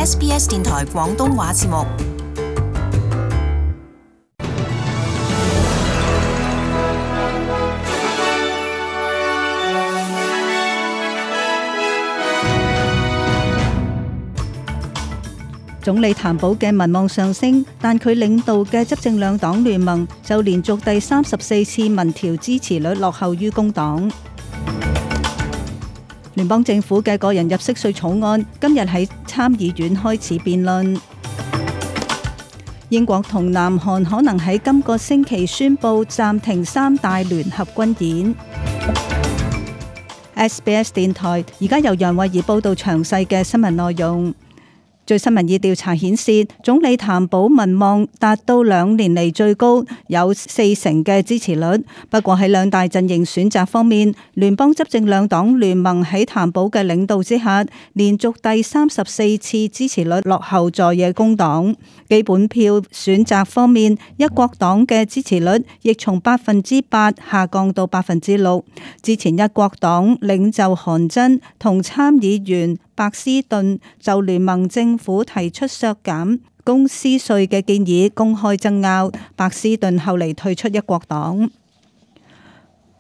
SBS 電台廣東話節目。總理譚寶嘅民望上升，但佢領導嘅執政兩黨聯盟就連續第34次民調支持率落後於工黨。聯邦政府嘅個人入息稅草案今日喺參議院開始辯論。英國同南韓可能喺今個星期宣布暫停3大聯合軍演。SBS 電台而家由楊慧儀報道詳細嘅新聞內容。最新民意調查顯示，總理譚寶民望達到2年嚟最高，有40%嘅支持率。不過喺兩大陣營選擇方面，聯邦執政兩黨聯盟喺譚寶嘅領導之下，連續第34次支持率落後在野工黨。基本票選擇方面，一國黨嘅支持率亦從8%下降到6%。之前一國黨領袖韓真同參議員白斯頓就聯盟政府提出削減公司稅嘅建議公開爭拗，白斯頓後嚟退出一國黨。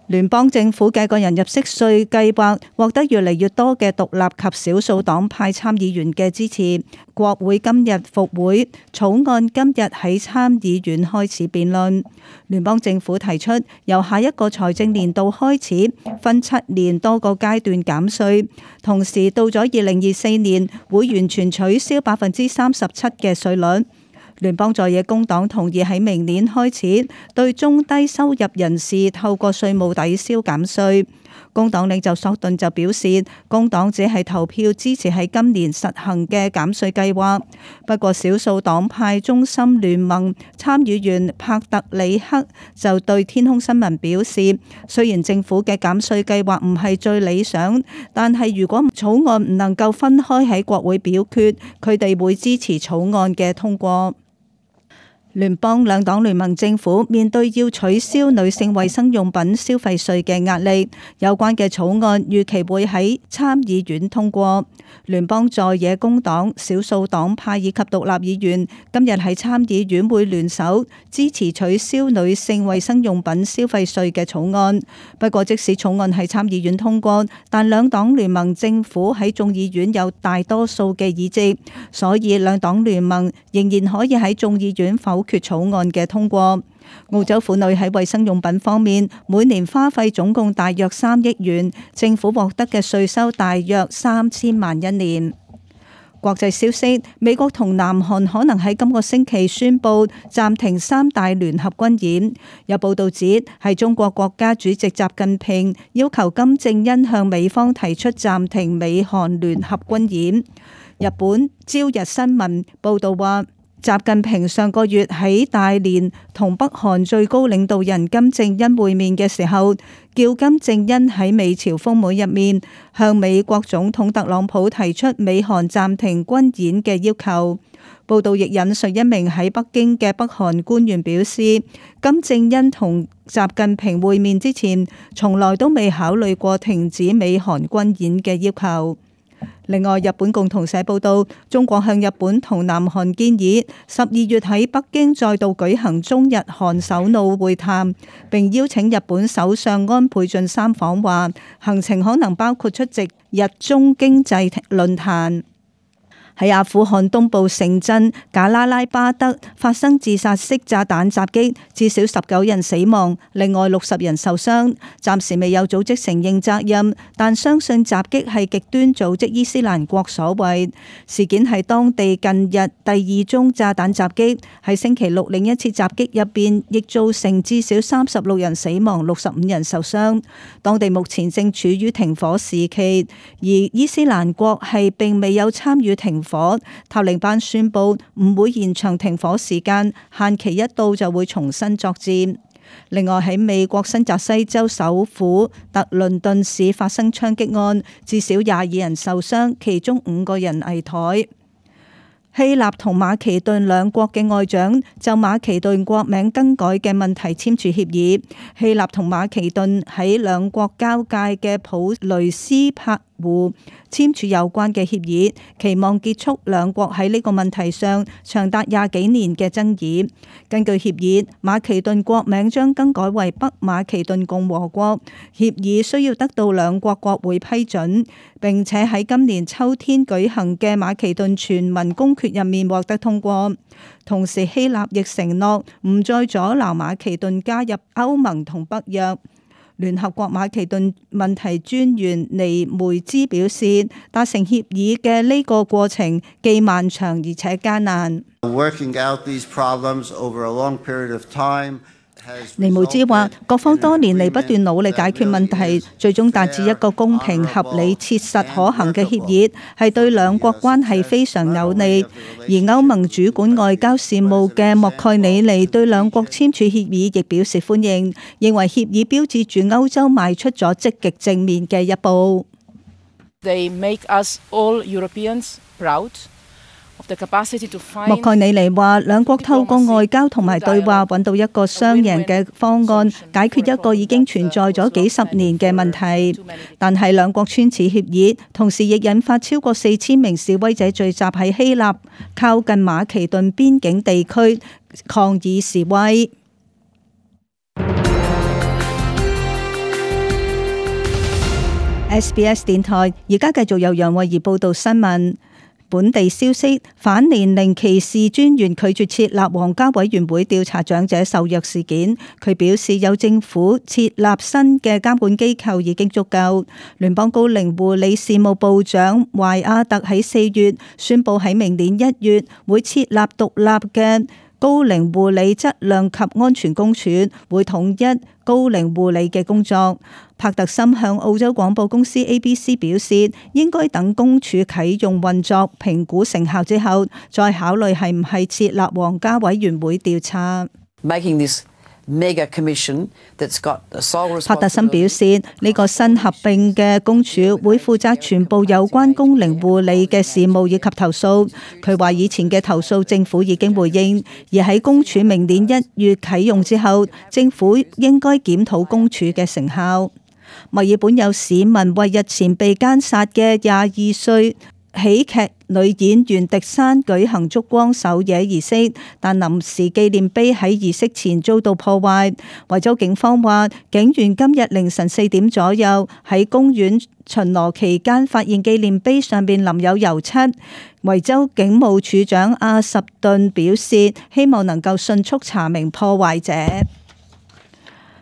聯邦政府嘅個人入息稅計劃獲得越嚟越多嘅獨立及少數黨派參議員嘅支持。國會今日復會，草案今日喺參議院開始辯論。聯邦政府提出由下一個財政年度開始分7年多個階段減稅，同時到咗2024年會完全取消37%嘅稅率。聯邦在野工黨同意喺明年開始對中低收入人士透過稅務抵消減稅。工黨領袖索頓就表示，工黨只係投票支持喺今年實行嘅減稅計劃。不過少數黨派中心聯盟參議員帕特里克就對天空新聞表示，雖然政府嘅減稅計劃唔係最理想，但係如果草案唔能夠分開喺國會表決，佢哋會支持草案嘅通過。聯邦兩黨聯盟政府面對要取消女性衛生用品消費稅嘅壓力，有關嘅草案預期會喺參議院通過。聯邦在野工黨、少數黨派以及獨立議員今日喺參議院會聯手支持取消女性衛生用品消費稅嘅草案。不過即使草案喺參議院通過，但兩黨聯盟政府喺眾議院有大多數嘅議席，所以兩黨聯盟仍然可以喺眾議院否決草案嘅通過。澳洲婦女喺衛生用品方面每年花費總共大約3億元，政府獲得嘅稅收大約3000萬一年。國際消息，美國同南韓可能喺今個星期宣布暫停3大聯合軍演。有報道指係中國國家主席習近平要求金正恩向美方提出暫停美韓聯合軍演。日本朝日新聞報道話，習近平上個月喺大連同北韓最高領導人金正恩會面嘅時候，叫金正恩喺美朝峰會入面向美國總統特朗普提出美韓暫停軍演嘅要求。報道亦引述一名喺北京嘅北韓官員表示，金正恩同習近平會面之前，從來都未考慮過停止美韓軍演嘅要求。另外，日本共同社報道，中國向日本同南韓建議12月喺北京再度舉行中日韓首腦會談，並邀請日本首相安倍晉三訪華，行程可能包括出席日中經濟論壇。喺阿富汗東部城鎮賈拉拉巴德發生自殺式炸彈襲擊，至少19人死亡，另外60人受傷。暫時未有組織承認責任，但相信襲擊係極端組織伊斯蘭國所為。事件係當地近日第2宗炸彈襲擊，喺星期六另一次襲擊入邊，亦造成至少36人死亡，65人受傷。當地目前正處於停火時期，而伊斯蘭國係並未有參與停火。塔利班宣布唔會延長停火時間，限期一到就會重新作戰。另外喺美國新澤西州首府特倫頓市發生槍擊案，至少22人受傷，其中5個人危殆。希臘同馬其頓兩國嘅外長就馬其頓國名更改嘅問題簽署協議。希臘同馬其頓喺兩國交界嘅普雷斯帕湖簽署有關嘅協議，期望結束兩國喺呢個問題上長達20幾年嘅爭議。根據協議，馬其頓國名將更改為北馬其頓共和國。協議需要得到兩國國會批准，並且喺今年秋天舉行嘅馬其頓全民公決入面獲得通過。同時，希臘亦承諾唔再阻撓馬其頓加入歐盟同北約。聯合國馬其頓問題專員尼梅茲表示，達成協議嘅呢個過程既漫長而且艱難。尼梅茲話，各方多年嚟不斷努力解決問題，最終達至一個公平、合理、切實可行嘅協議，係對兩國關係非常有利。而歐盟主管外交事務嘅莫蓋里尼對兩國簽署協議亦表示歡迎，認為協議標誌住歐洲邁出咗積極正面嘅一步。They make us all Europeans proud.莫蓋里尼話，兩國透過外交同埋對話揾到一個雙贏嘅方案，解決一個已經存在咗幾十年嘅問題。但係兩國簽署協議，同時亦引發超過4000名示威者聚集喺希臘靠近馬其頓邊境地區抗議示威。SBS 電台而家繼續由楊慧儀報道新聞。本地消息，反年齡歧視專員拒絕設立皇家委員會調查長者受虐事件。佢表示，有政府設立新嘅監管機構已經足夠。聯邦高齡護理事務部長懷亞特喺4月宣布，喺明年1月會設立獨立嘅高齡護理質量及安全公署，會統一高齡護理嘅工作。帕特森向澳洲廣播公司 ABC 表示，應該等公署啟用運作、評估成效之後，再考慮係唔係設立皇家委員會調查。帕特森表示，呢個新合併嘅公署會負責全部有關高齡護理嘅事務以及投訴。佢話以前嘅投訴政府已經回應，而喺公署明年1月啟用之後，政府應該檢討公署嘅成效。墨爾本有市民為日前被姦殺嘅22歲喜劇女演員迪珊舉行燭光守夜儀式，但臨時紀念碑喺儀式前遭到破壞。維州警方話，警員今日凌晨4點左右喺公園巡邏期間發現紀念碑上邊淋有油漆。維州警務處長阿什頓表示，希望能夠迅速查明破壞者。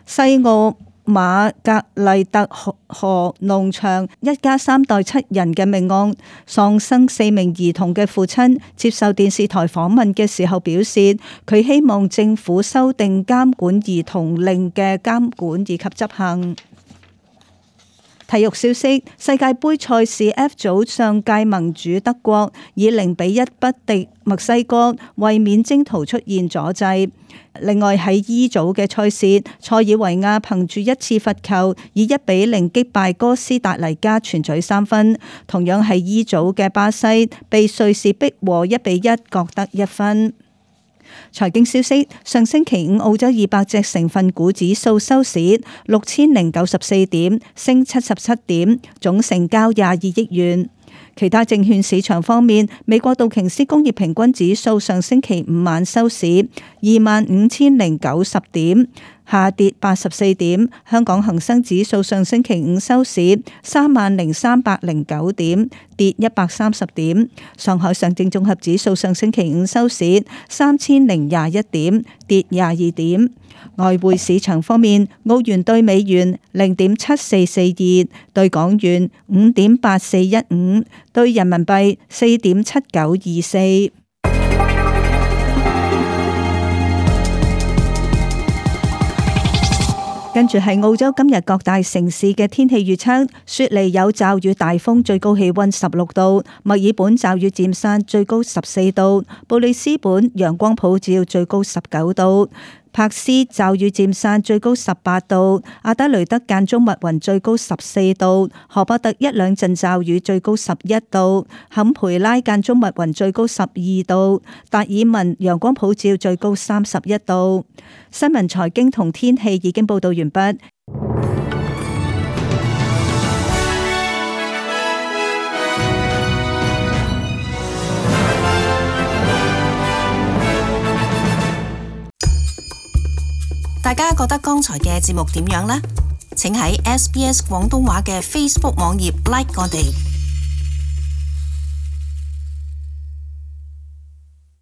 西澳馬格麗特河農場一家3代7人嘅命案，喪生4名兒童嘅父親接受電視台訪問嘅時候表示，佢希望政府修訂監管兒童令嘅監管以及執行。體育消息，世界盃賽事 F 組上屆盟主德國以0-1不敵墨西哥，衛冕征途出現阻滯。另外喺 E 組嘅賽事，塞爾維亞憑住一次罰球以1-0擊敗哥斯達黎加，全取3分。同樣係 E 組嘅巴西被瑞士逼和1-1，各得1分。財經消息，上星期五澳洲200隻成分股指數收市6094點，升77點，總成交22億元。其他證券市場方面，美國道瓊斯工業平均指數上星期五晚收市25,090點，下跌84點。香港恒生指數上星期五收市30,309點，跌130點。上海上證綜合指數上星期五收市3021點，跌22點。外匯市場方面，澳元兌美元0.7442，兌港元5.8415，兌人民幣4.7924。跟住係澳洲今日各大城市嘅天氣預測：雪梨有驟雨大風，最高氣溫16度；墨爾本驟雨漸散，最高14度；布里斯本陽光普照，最高19度；柏斯驟雨漸散，最高18度；阿德雷德間中密雲，最高14度；荷伯特一兩陣驟雨，最高11度；坎培拉間中密雲，最高12度；達爾文陽光普照，最高31度。新聞、財經同天氣已經報道完畢。大家覺得剛才嘅節目點樣呢？請喺SBS 廣東話嘅 Facebook 網頁 like 我哋。